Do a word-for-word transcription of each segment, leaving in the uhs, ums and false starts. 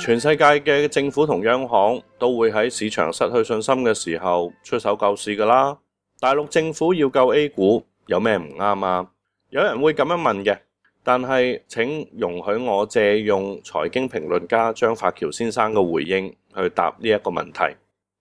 全世界嘅政府同央行都會喺市場失去信心嘅時候出手救市㗎啦。大陸政府要救 A 股有咩唔啱啊？有人會咁樣問嘅，但係請容許我借用財經評論家張發橋先生嘅回應去答呢一個問題。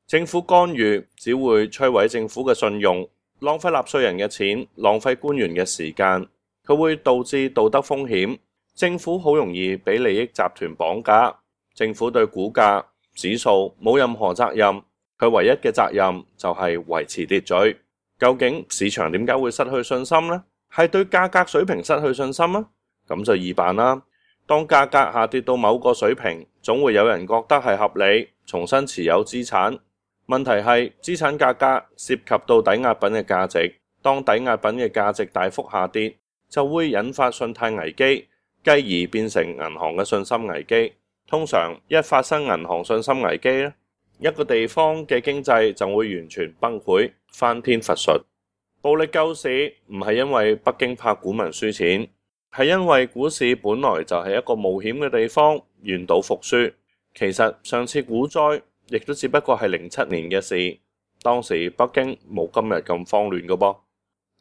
政府干預只會摧毀政府嘅信用，浪費納稅人嘅錢，浪費官員嘅時間，佢會導致道德風險。政府好容易俾利益集團綁架，政府對股價指數冇任何責任，佢唯一嘅責任就係維持秩序。究竟市場點解會失去信心呢？係對價格水平失去信心啊？咁就易辦啦。當價格下跌到某個水平，總會有人覺得係合理，重新持有資產。問題係資產價格涉及到抵押品嘅價值，當抵押品嘅價值大幅下跌，就會引發信貸危機，繼而變成銀行嘅信心危機。通常一發生銀行信心危機咧，一個地方嘅經濟就會完全崩潰，翻天覆術。暴力救市唔係因為北京怕股民輸錢，係因為股市本來就係一個冒險嘅地方，願賭服輸。其實上次股災亦都只不過係零七年嘅事，當時北京冇今日咁慌亂嘅噃。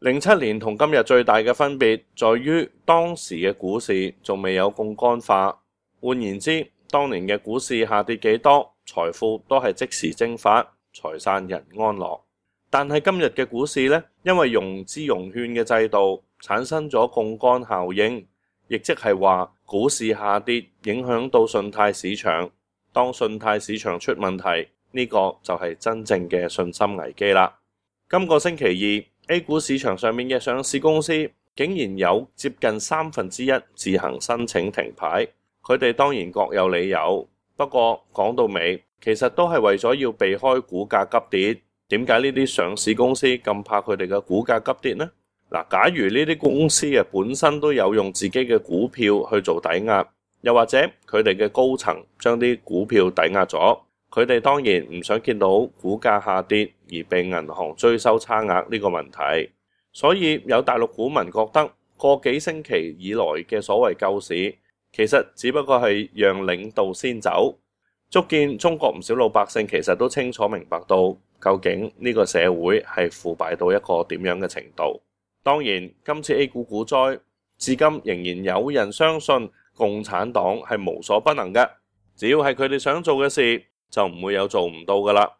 零七年同今日最大嘅分別在於當時嘅股市仲未有槓桿化，換言之，當年嘅股市下跌幾多，財富都係即時蒸發，財散人安樂。但係今日嘅股市呢，因為融資融券嘅制度產生咗槓桿效應，亦即係話股市下跌影響到信貸市場。當信貸市場出問題，呢個就係真正嘅信心危機啦。今個星期二 A 股市場上面嘅上市公司竟然有接近三分之一自行申請停牌，佢哋當然各有理由，不過講到尾其實都係為咗要避開股價急跌。點解呢啲上市公司咁怕佢哋嘅股價急跌呢？嗱，假如呢啲公司啊本身都有用自己嘅股票去做抵押，又或者佢哋嘅高層將啲股票抵押咗，佢哋當然唔想見到股價下跌而被銀行追收差額呢個問題。所以有大陸股民覺得個幾星期以來嘅所謂救市，其實只不過係讓領導先走，足見中國唔少老百姓其實都清楚明白到究竟呢個社會係腐敗到一個點樣嘅程度。當然今次 A 股股災至今仍然有人相信共產黨係無所不能嘅，只要係佢哋想做嘅事就唔會有做唔到噶啦。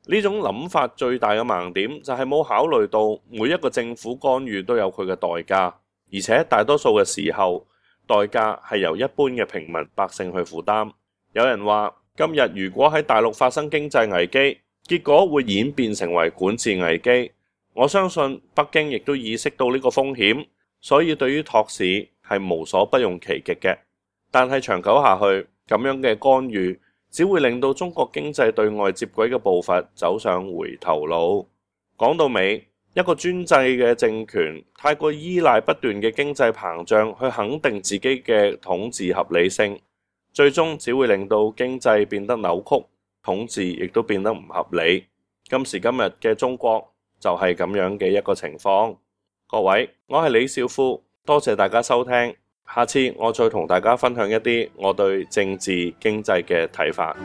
呢種諗法最大嘅盲點就係冇考慮到每一個政府干預都有佢嘅代價，而且大多數嘅時候代價係由一般嘅平民百姓去負擔。有人話今日如果喺大陸發生經濟危機，結果會演變成為管治危機。我相信北京亦都意識到呢個風險，所以對於托市係無所不用其極嘅。但係長久下去，咁樣嘅干預只會令到中國經濟對外接軌嘅步伐走上回頭路。講到尾，一個專制嘅政權太過依賴不斷嘅經濟膨脹去肯定自己嘅統治合理性，最終只會令到經濟變得扭曲，統治亦都變得唔合理。今時今日嘅中國就係咁樣嘅一個情況。各位，我係李少夫，多謝大家收聽。下次我再同大家分享一啲我對政治經濟嘅睇法。